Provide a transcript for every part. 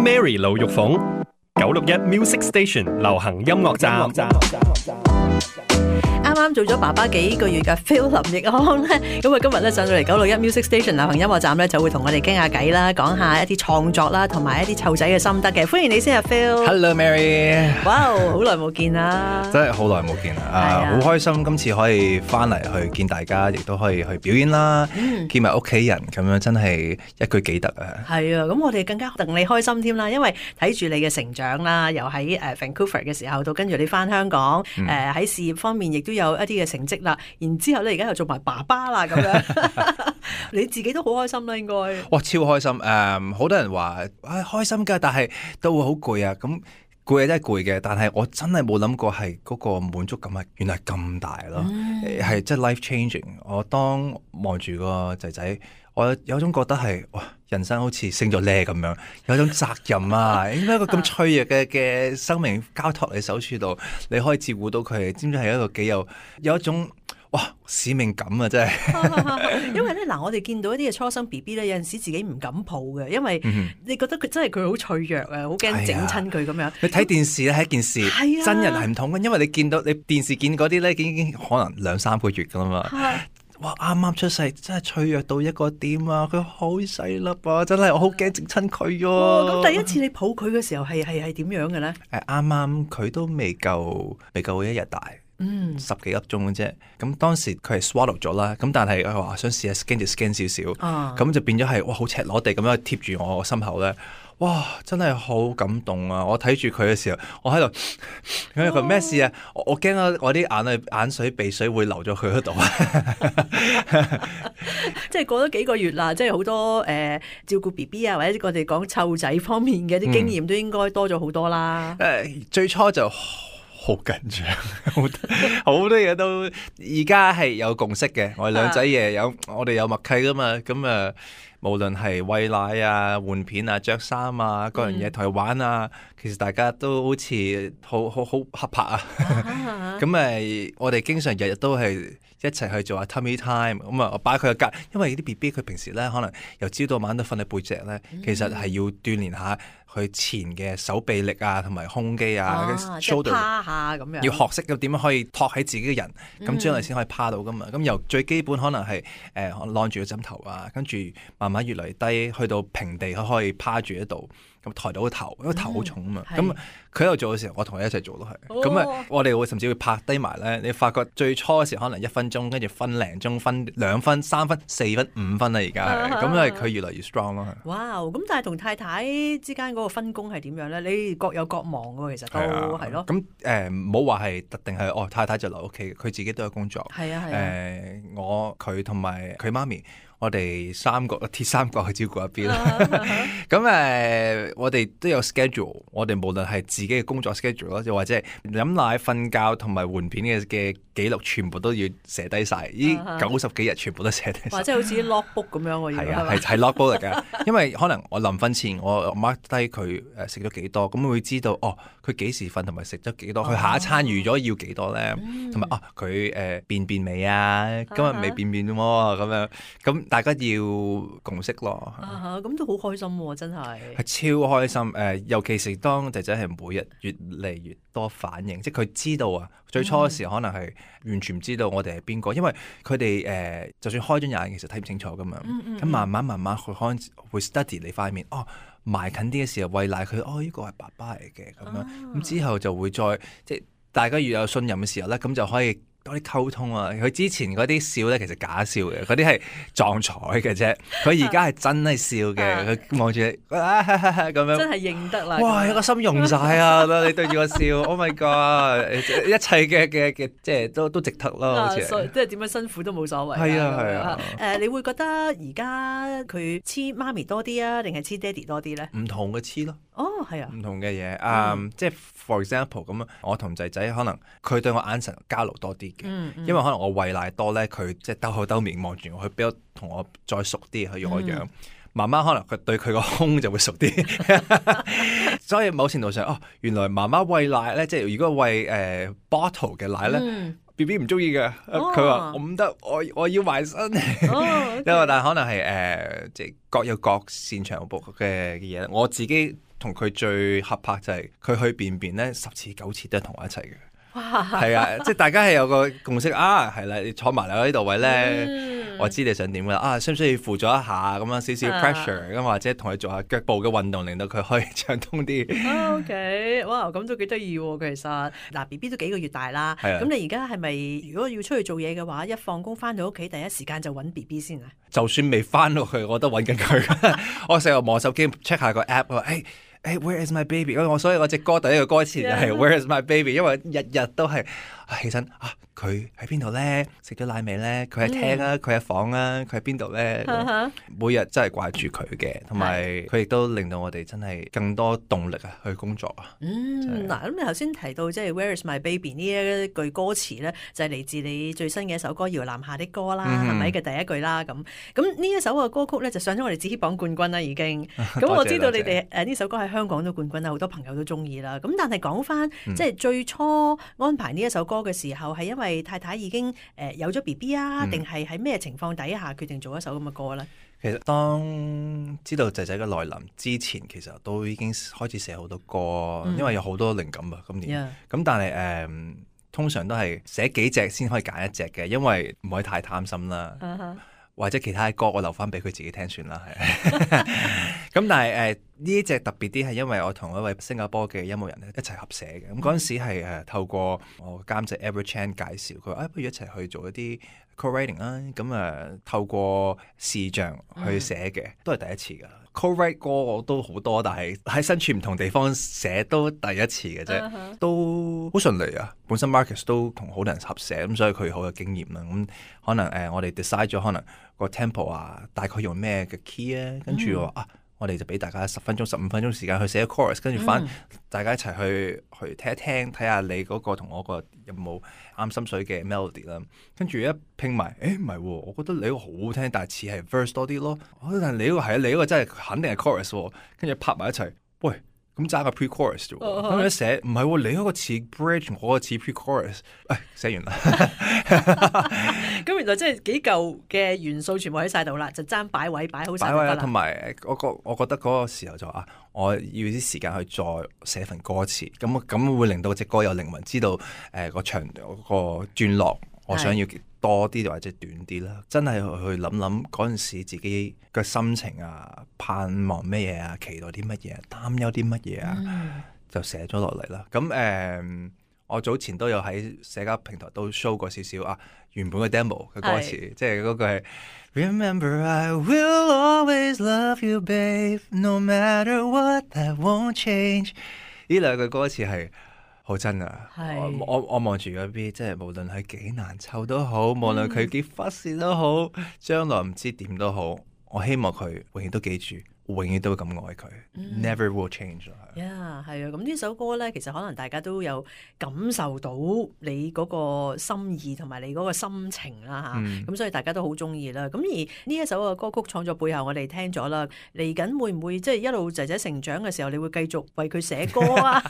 Mary 盧玉鳳961 Music Station 流行音樂站。啱啱做咗爸爸幾個月嘅 Phil 林奕匡咧，咁啊今日咧上到嚟961 Music Station 流行音樂站咧，就會同我哋傾下偈啦，講下一啲創作啦，同埋一啲湊仔嘅心得嘅。歡迎你先啊 Phil。Hello Mary。哇，好耐冇見啦！真係好耐冇見啦，好開心今次可以翻嚟去見大家，亦都可以去表演啦，見埋屋企人咁樣，真係一舉幾得啊！係啊，咁我哋更加戥你開心添啦，因為睇住你嘅成長啦，由喺Vancouver 嘅時候到跟住你翻香港，喺事業方面亦都有一啲嘅成績啦，然之後咧而家又做埋爸爸啦咁樣，你自己都好開心啦應該。哇，超開心！好多人話開心㗎，但係都會好攰啊。咁攰真係攰嘅，但係我真係冇諗過係嗰個滿足感係原來咁大咯，係真係 life changing。我當望住個仔仔，我有種覺得係哇，人生好似升咗呢咁樣，有種責任啊！點解一個咁脆弱嘅生命交託你手處度，你可以照顧到佢，知唔知係一個幾有一種哇使命感啊！真係，因為咧嗱，我哋見到一啲嘅初生 BB 咧，有陣時自己唔敢抱嘅，因為你覺得佢真係佢好脆弱啊，好驚整親佢咁樣。你睇電視咧係一件事，真人係唔同嘅，因為你見到你電視見嗰啲咧，已經可能2-3個月噶啦嘛。哇！啱啱出世，真係脆弱到一個點啊！佢好細粒啊，真係我好驚整親佢喎。咁第一次你抱佢嘅時候係點樣嘅咧？啱啱佢都未夠1日大。10幾粒鐘嘅啫，咁當時佢係 swallow 咗啦，咁但係佢話想試下 scan 就 scan 少少，咁就變咗係哇好赤裸地咁樣貼住我心口咧，哇真係好感動啊！我睇住佢嘅時候，我喺度，佢話咩事啊？我驚我啲眼水鼻水會流咗佢嗰度啊！即係過咗幾個月啦，即係好多照顧 BB 啊，或者我哋講湊仔方面嘅啲經驗都應該多咗好多啦。最初就好緊張，好多嘢都而家係有共識嘅。我哋兩仔爺我哋有默契噶嘛。咁無論係餵奶啊、換片啊、着衫啊，各樣嘢同佢玩啊，其實大家都好似好合拍啊。咁我哋經常日日都係一齊去做下 tummy time。咁我擺佢個隔，因為啲 BB 佢平時咧可能由朝到晚都瞓喺背脊咧，其實係要鍛鍊下佢前嘅手臂力啊，同埋胸肌啊，即係趴下咁樣，要學識點樣可以托起自己嘅人，咁將來先可以趴到噶嘛。咁由最基本可能係攬住個枕頭啊，跟住慢慢越嚟低，去到平地佢可以趴住喺度，咁抬到個頭，因為頭好重啊嘛。咁佢喺度做嘅時候，我同佢一齊做都係。咁我哋會甚至會拍低埋咧。你發覺最初嘅時候可能1分鐘，跟住分零鐘，分2分、3分、4分、5分啦，而家係咁，因為佢越嚟越 strong 咯。哇！咁但係同太太之間嗰個分工係點樣咧？你各有各忙喎，其實都係咯。咁唔好話係特定係太太就留屋企，佢自己都有工作。係啊。佢同埋佢媽咪。我哋鐵三角去照顧一邊啦。咁我哋都有 schedule， 我哋無論係自己嘅工作 schedule 啦，又或者係飲奶、瞓覺同埋換片嘅記錄，全部都要寫低晒。呢90幾日全部都寫低晒。或者好似 logbook 咁樣喎。係啊，係 logbook 嚟㗎。因為可能我臨瞓前我 mark 低佢食咗幾多，咁會知道佢幾時瞓同埋食咗幾多，佢下一餐預咗要幾多咧，同埋佢便未啊？今日未便喎咁樣咁。大家要共識咯，咁都好開心喎！真係超開心。尤其是當仔仔係每日越嚟越多反應，即係佢知道啊。最初嘅時候可能係完全唔知道我哋係邊個，因為佢哋就算開咗眼，其實睇唔清楚噶嘛。咁慢慢佢可能會 study 你塊面，埋近啲嘅時候餵奶佢，呢個係爸爸嚟嘅咁樣。咁之後就會再即係大家越有信任嘅時候咧，咁就可以多啲溝通啊！佢之前嗰啲笑咧，其實假笑嘅，嗰啲係撞彩嘅啫。佢而家係真係笑嘅，佢望住你咁樣，真係認得啦！哇，有個心溶晒啊！你對住我笑，Oh my God！一切嘅即係都值得咯，好似即係點樣辛苦都冇所謂。係啊。你會覺得而家佢黐媽咪多啲啊，定係黐爹哋多啲咧？唔同嘅黐咯。係啊，唔同嘅嘢，即係 for example 咁，我同仔仔可能佢對我眼神交流多啲嘅，因為可能我餵奶多咧，佢即係兜口兜面望住我，佢比較同我再熟啲，去我樣。媽媽可能佢對佢個胸就會熟啲，所以某程度上，原來媽媽餵奶咧，即係如果餵bottle 嘅奶咧。B B 唔中意嘅，佢話我唔得，我要埋身。因為但係可能係即係各有各擅長嘅嘢。我自己同佢最合拍就係佢去便便咧10次9次都係同我一齊嘅。哇！係啊，即係大家係有個共識啊，係啦，你坐埋嚟我呢度位咧，我知你想點噶啦，啊，需唔需要輔助一下咁樣少少 pressure 咁，或者同佢做下腳部嘅運動，令到佢可以暢通啲。OK， 哇，咁都幾得意喎，其實嗱 BB 都幾個月大啦，咁你而家係咪如果要出去做嘢嘅話，一放工翻到屋企第一時間就揾 BB 先啊？就算未翻到去，我都揾緊佢。我成日望手機 check 下個 app， 我話Where is my baby？ 所以我隻歌第一個歌詞就係 Where is my baby？ 因為日日都係起身啊，佢喺邊度咧？食咗奶未咧？佢喺廳啊，佢喺房啊，佢喺邊度咧？每日真係掛住佢嘅，同埋佢亦都令到我哋真係更多動力啊去工作啊。嗱，咁你頭先提到即係 Where is my baby 呢一句歌詞咧，就係嚟自你最新嘅一首歌《搖籃下的歌》啦，係咪嘅第一句啦？咁呢一首嘅歌曲咧就上咗我哋紫榜冠軍啦，已經。咁我知道你哋呢首歌喺香港都冠軍啦，好多朋友都中意啦。咁但係講翻即係最初安排呢一首歌嘅時候，係因為太太已經有咗 BB 啊，定係喺咩情況底下決定做一首咁嘅歌咧？其實當知道仔仔嘅來臨之前，其實都已經開始寫好多歌，因為有好多靈感啊。今年咁，但係通常都係寫幾隻先可以揀一隻嘅，因為唔可以太貪心啦。或者其他嘅歌我留翻俾佢自己聽算啦，係。咁但係呢一隻特別啲係因為我同一位新加坡嘅音樂人咧一齊合寫嘅。咁嗰陣時係透過我監製 Edward Chan 介紹，佢話不如一齊去做一啲 co-writing 啦。咁透過視像去寫嘅，都係第一次㗎。co-write 歌我都好多，但係喺身處唔同地方寫都第一次嘅啫，都好順利啊！本身 Marcus 都同好多人合寫，咁所以佢好有經驗啦。咁可能我哋 decide 咗可能個 tempo 啊，大概用咩嘅 key 啊，跟住我哋就俾大家10分鐘、15分鐘時間去寫 chorus， 跟住翻大家一齊去聽一聽，睇下你嗰個同我個有冇啱心水嘅 melody 啦。跟住一拼埋，唔係喎，我覺得你嗰個好好聽，但係似係 verse 多啲咯。但係你嗰個係啊，你嗰個真係肯定係 chorus 喎。跟住拍埋一齊，喂，咁爭個 pre-chorus 啫喎。咁一寫唔係喎，你嗰個似 bridge，我個似 pre-chorus。寫完啦。咁原來真係幾嚿嘅元素全部喺晒度啦，就爭擺位擺好晒啦。同埋我覺得嗰個時候就我要啲時間去再寫份歌詞，咁會令到隻歌有靈魂，知道個長個段落我想要多啲或者短啲啦。真係去諗諗嗰陣時自己嘅心情啊，盼望咩嘢啊，期待啲乜嘢，擔憂啲乜嘢啊，就寫咗落嚟啦。咁我早前都有喺社交平台都 show 過少少原本嘅 demo 嘅歌詞，即係嗰句係 Remember I will always love you, babe, no matter what, that won't change。呢兩句歌詞係好真啊！我望住嗰邊，即係無論係幾難湊都好，無論佢幾忽視都好，將來唔知點都好，我希望佢永遠都記住。永遠都會咁愛佢，never will change。係啊，咁呢首歌咧，其實可能大家都有感受到你嗰個心意同埋你嗰個心情啦嚇，咁所以大家都好中意啦。咁而呢一首嘅歌曲創作背後，我哋聽咗啦，嚟緊會唔會即係一路仔仔成長嘅時候，你會繼續為佢寫歌啊？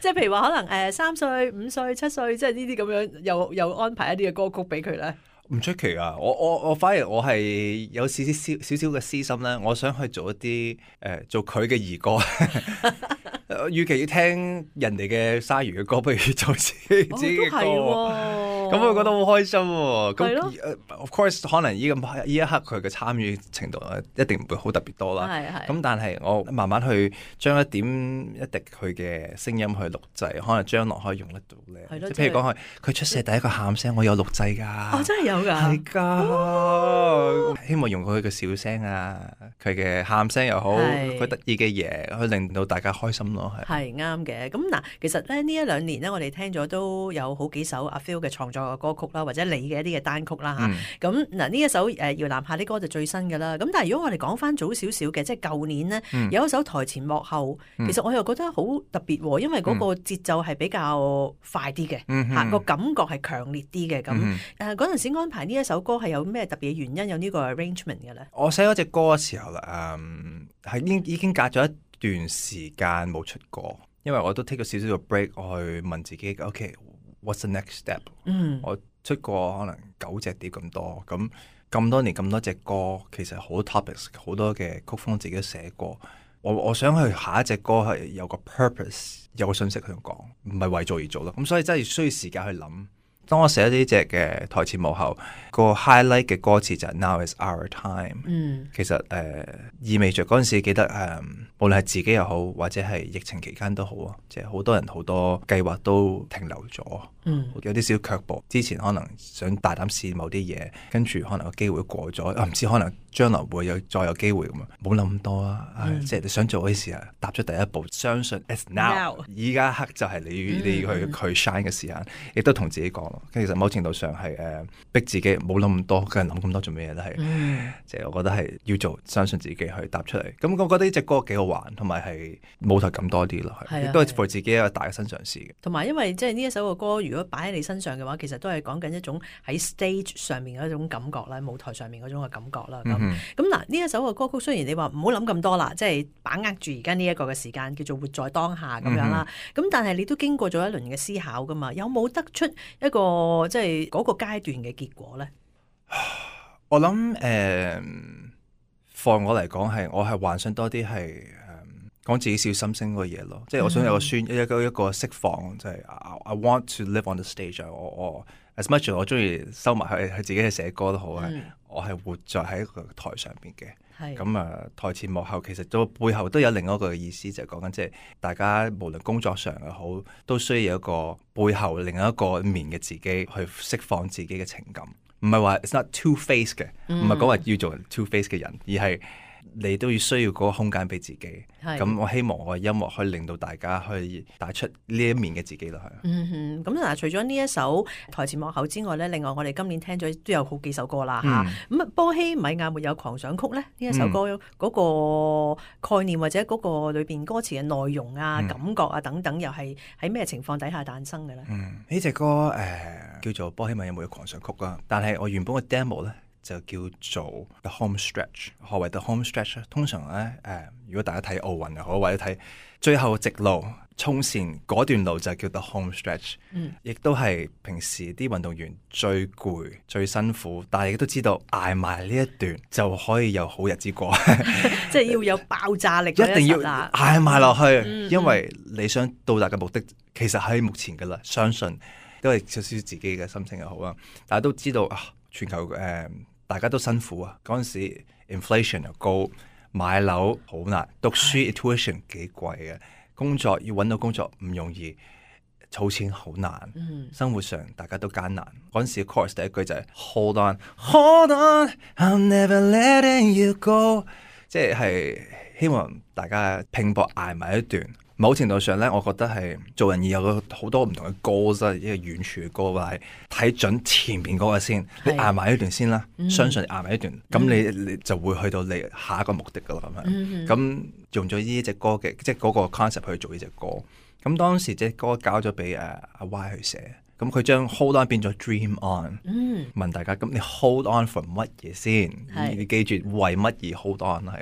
即係譬如話可能3歲、5歲、7歲，即係呢啲咁樣，又安排一啲嘅歌曲俾佢咧。唔出奇啊！我反而我係有少少嘅私心咧，我想去做一啲做佢嘅兒歌。與其要聽人哋嘅鯊魚嘅歌，不如做自己嘅歌。咁我覺得好開心喎。咁 of course 可能呢一刻佢嘅參與程度一定唔會好特別多啦。咁但係我慢慢去將一點一滴佢嘅聲音去錄製，可能將來可以用得到咧。譬如講佢出世第一個喊聲，我有錄製㗎。真係有㗎。係㗎。希望用佢嘅笑聲啊，佢嘅喊聲又好，佢得意嘅嘢，去令到大家開心咯。係啱嘅。咁嗱，其實咧呢一兩年咧，我哋聽咗都有好幾首阿 Phil 嘅創作嘅歌曲啦，或者你嘅一啲嘅單曲啦嚇。咁嗱呢一首搖籃下啲歌就最新㗎啦。咁但係如果我哋講翻早少少嘅，即係舊年呢，有一首台前幕後，其實我又覺得好特別喎，因為嗰個節奏係比較快啲嘅，嚇個感覺係強烈啲嘅咁。嗰陣時安排呢一首歌係有咩特別嘅原因有呢個 arrangement 嘅咧？我寫嗰隻歌嘅時候啦，係已經隔咗一段時間冇出歌，因為我都 take 咗少少嘅 break， 我去問自己 ，OK，what's the next step？我出過可能9隻碟咁多，咁多年咁多隻歌，其實好多 topics， 好多嘅曲風自己都寫過，我想去下一隻歌係有個 purpose， 有個信息去講，唔係為做而做咯。咁所以真係需要時間去諗。當我寫呢隻嘅台前幕後，個 highlight 嘅歌詞就係 Now is our time。其實意味着嗰陣時記得無論係自己又好，或者係疫情期間都好啊，即係好多人好多計劃都停留咗，有啲少卻步。之前可能想大膽試某啲嘢，跟住可能個機會過咗，唔知可能將來會再有機會咁啊！冇諗咁多啊，即係你想做嗰啲事啊，踏出第一步，相信 it's now。依家一刻就係你要去 shine 嘅時間，亦都同自己講。其實某程度上係逼自己冇諗咁多，佢人諗咁多做咩嘢都係，即係我覺得係要做，相信自己去踏出嚟。咁我覺得呢隻歌幾好玩，同埋係舞台感多啲咯，亦都係 for 自己一個大嘅新嘗試嘅。同埋因為即係呢一首嘅歌，如果擺喺你身上嘅話，其實都係講緊一種喺 stage 上面嘅一種感覺啦，舞台上面嗰種嘅感覺啦。咁嗱，呢一首嘅歌曲雖然你話唔好諗咁多啦，即係把握住而家呢一個嘅時間，叫做活在當下咁樣啦。咁但係你都經過咗一輪嘅思考噶嘛，有冇得出一個即係嗰個階段嘅結果咧？我諗放我嚟講我係幻想多啲係講自己小心聲嗰個嘢咯，即係我想有一個釋放，就係 I want to live on the stage。我 as much as 我中意收埋去自己去寫歌都好啊，我係活在喺個台上邊嘅。咁台前幕後其實都背後都有另一個意思，就係講緊即係大家無論工作上又好，都需要有一個背後另一個面嘅自己去釋放自己嘅情感，唔係話 it's not two face 嘅，唔係講話要做 two face 嘅人，而係你都要需要嗰個空間俾自己。咁我希望我嘅音樂可以令到大家去帶出呢一面嘅自己咯。咁嗱，除咗呢一首台前幕後之外咧，另外我哋今年聽咗都有好幾首歌啦嚇。咁波希米亞沒有狂想曲咧，呢一首歌嗰個概念或者嗰個裏邊歌詞嘅內容啊、感覺啊等等，又係喺咩情況底下誕生嘅咧？呢隻歌叫做波希米亞沒有狂想曲啦，但係我原本嘅 demo 咧就叫做 The Home Stretch。何謂 The Home Stretch 咧？通常咧如果大家睇奧運又好，或者睇最後直路衝線嗰段路就叫 The Home Stretch。亦都係平時啲運動員最攰最辛苦，但係亦都知道捱埋呢一段就可以有好日子過。即係要有爆炸力，一定要捱埋落去，因為你想到達嘅目的其實喺目前噶啦。相信都係少少自己嘅心情又好啦，大家都知道全球大家都辛苦啊！嗰陣時 inflation 又高，買樓好難，讀書 tuition 幾貴嘅，工作要揾到工作唔容易，儲錢好難，生活上大家都艱難。嗰陣時 chorus 第一句就係 Hold on, hold on, I'm never letting you go， 即係希望大家拼搏捱埋一段。某程度上咧，我覺得係做人要有好多唔同嘅 goals， 一個遠處嘅 goal， 係睇準前面嗰個先，你捱埋一段先啦，相信你捱埋一段，咁你就會去到你下一個目的噶啦咁樣。咁用咗呢隻歌嘅，即係嗰個 concept 去做呢隻歌。咁當時隻歌交咗俾阿 Y 去寫，咁佢將 hold on 變咗 dream on。問大家，咁你 hold on for 乜嘢先？你記住為乜而 hold on 係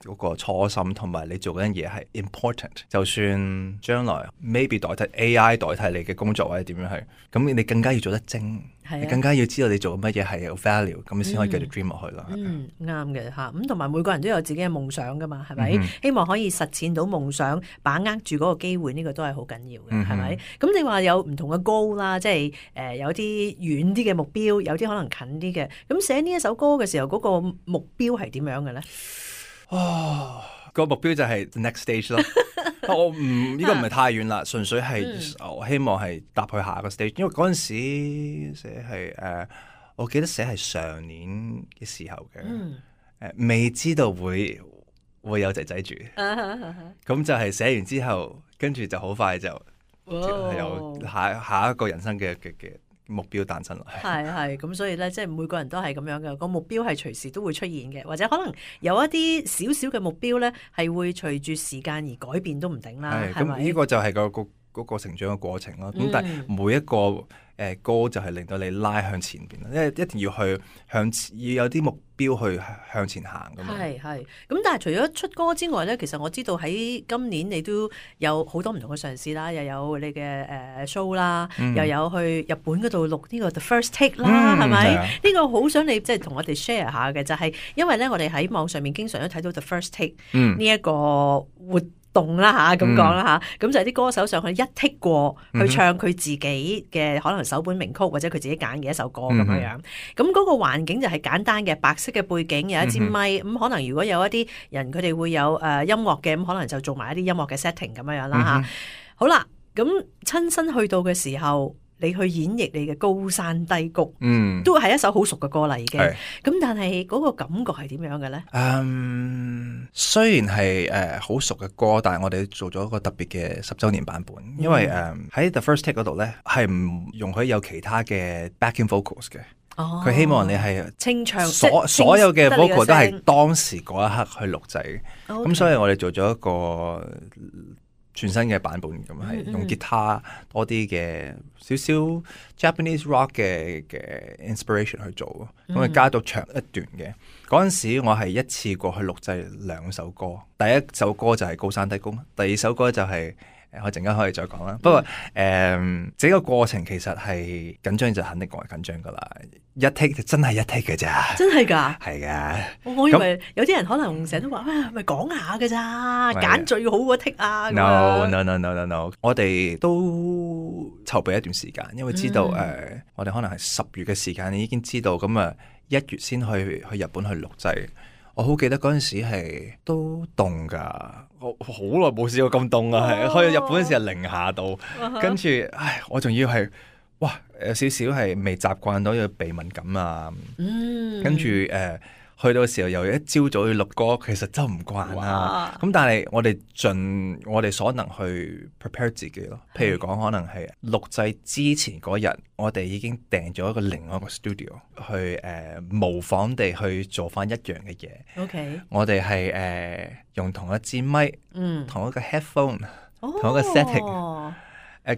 嗰個初心，同埋你做嗰樣嘢係 important。就算將來 maybe 代替 AI 代替你嘅工作或者點樣係，咁你更加要做得精，你更加要知道你做乜嘢係有 value， 咁你先可以繼續 dream 落去啦。啱嘅嚇，咁同埋每個人都有自己嘅夢想噶嘛，係咪？希望可以實踐到夢想，把握住嗰個機會，呢個都係好緊要嘅，係咪？咁你話有唔同嘅 goal 啦，即係有啲遠啲嘅目標，有啲可能近啲嘅。咁寫呢一首歌嘅時候，嗰個目標係點樣嘅咧？個目標就係 next stage 咯。我呢個唔係太遠啦，純粹係我希望係踏去下一個 stage。因為嗰陣時寫係我記得寫係上年嘅時候嘅，未知道會有仔仔住。咁就係寫完之後，跟住就好快就有下一個人生嘅目標誕生啦。係咁，所以咧，即係每個人都係咁樣嘅，個目標係隨時都會出現嘅，或者可能有一啲少少嘅目標咧，係會隨住時間而改變都唔定啦。咁呢個就係個嗰個成長嘅過程咯。咁但係每一個歌就係令到你拉向前邊，因為一定要去要有啲目標去向前行㗎嘛。係。咁但係除咗出歌之外咧，其實我知道喺今年你都有好多唔同嘅嘗試啦，又有你嘅show 啦，又有去日本嗰度錄呢個 The First Take 啦，係咪？呢個好想你即係同我哋 share 下嘅，就係因為咧我哋喺網上面經常都睇到 The First Take 呢一個活動啦嚇，咁講啦嚇，咁就係啲歌手上去一剔過去唱佢自己嘅可能首本名曲或者佢自己揀嘅一首歌咁樣樣。咁嗰個環境就係簡單嘅白色嘅背景，有一支咪，咁可能如果有一啲人佢哋會有音樂嘅，咁可能就做埋一啲音樂嘅 setting 咁樣樣啦嚇。好啦，咁親身去到嘅時候，你去演繹你嘅高山低谷，都係一首好熟嘅歌啦已經。咁但係嗰個感覺係點樣嘅咧？雖然係好熟嘅歌，但係我哋做咗一個特別嘅10週年版本，因為喺 The First Take 嗰度咧係唔容許有其他嘅 backing vocals 嘅。佢希望你係清唱，所有嘅 vocal 都係當時嗰一刻去錄製。咁所以我哋做咗一個全新嘅版本，咁係用吉他多啲嘅少少 Japanese rock 嘅 inspiration 去做，咁啊加到長一段嘅。嗰陣時我係一次過去錄製2首歌，第一首歌就係高山低谷，第二首歌就係我陣間可以再講啦。不過整個過程其實係緊張，就肯定講係緊張噶啦。一 take 就真係一 take 嘅咋，真係㗎，係㗎。我以為有啲人可能成日都話啊，咪講下㗎咋，揀最好嗰 take 啊。No，我哋都籌備一段時間，因為知道我哋可能係10月嘅時間，你已經知道咁啊，1月先去日本去錄製。我好記得嗰陣時係都凍㗎，我好耐冇試過咁凍啊！係去日本嗰時係零下度，跟住我仲要係哇有少少係未習慣到要鼻敏感啊，跟住去到嘅時候又一朝早要錄歌，其實真唔慣啦。咁但係我哋盡我哋所能去 prepare 自己咯。譬如講可能係錄製之前嗰日，我哋已經訂咗另外一個 studio 去模仿地去做翻一樣嘅嘢。OK， 我哋係用同一支咪，同一個 headphone，同一個 setting，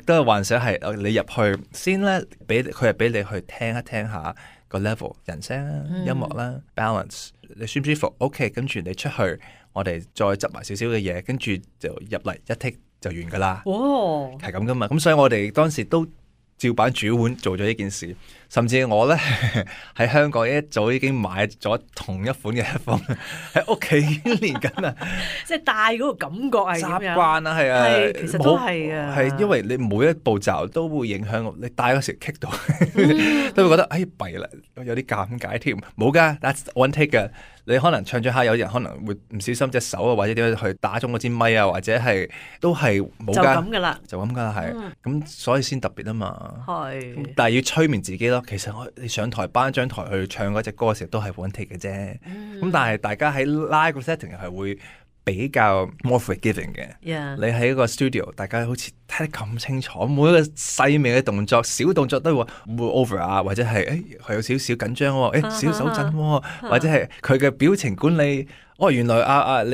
都係幻想係你入去先咧，佢係俾你去聽一聽下個 level 人聲啦、音樂啦、balance， 你舒唔舒服 ？OK， 跟住你出去，我哋再執埋少少嘅嘢，跟住就入嚟一 take 就完噶啦。係咁噶嘛，咁所以我哋當時都照板煮碗做咗呢件事，甚至我咧喺香港一早已經買咗同一款嘅 headphone 喺屋企已經練緊啦，即係戴嗰個感覺係點樣？習慣啦，係啊，其實都係啊，係因為你每一步驟都會影響你戴嗰時 kick 到，都會覺得弊啦，有啲尷尬添。冇噶 ，that's one take 噶。你可能唱咗下，有人可能會唔小心隻手啊，或者點樣去打中嗰支咪啊，或者係都係冇噶，就咁噶啦，就咁噶啦，係咁，所以先特別啊嘛。係，但係要催眠自己咯。其實你上台頒張台去唱嗰隻歌嘅時候都係 one take 嘅啫。咁但係大家喺 live setting 係會比較 more forgiving 嘅。你喺一個 studio， 大家好似睇得咁清楚，每一個細微嘅動作、小動作都會 over 啊，或者係佢有少少緊張喎，少手震喎，或者係佢嘅表情管理。原來你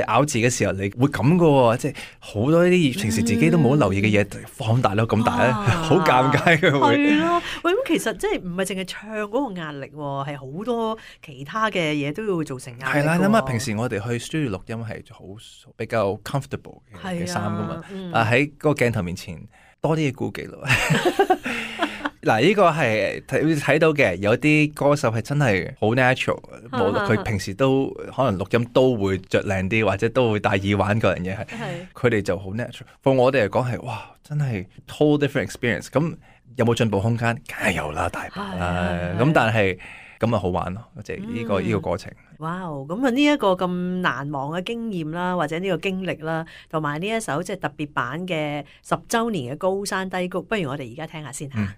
咬字嘅時候你會咁噶喎，即係好多呢啲平時自己都冇留意嘅嘢放大到咁大咧，好尷尬嘅會。係咯，喂，咁其實即係唔係淨係唱嗰個壓力喎，係好多其他嘅嘢都會造成壓力。係啦，諗下平時我哋去 studio 錄音係好比較 comfortable 嘅衫噶嘛，喺嗰個鏡頭面前多啲嘢顧忌咯。嗱，呢個係睇到嘅，有啲歌手係真係好 natural， 無論佢平時都可能錄音都會着靚啲，或者都會戴耳環嗰樣嘢係，佢哋就好 natural。放我哋嚟講係，哇，真係 whole different experience。咁有冇進步空間？梗係有啦，大把啦。咁但係咁啊好玩咯，即係呢個過程。哇！咁啊呢一個咁難忘嘅經驗啦，或者呢個經歷啦，同埋呢一首即係特別版嘅10週年嘅高山低谷，不如我哋而家聽下先嚇。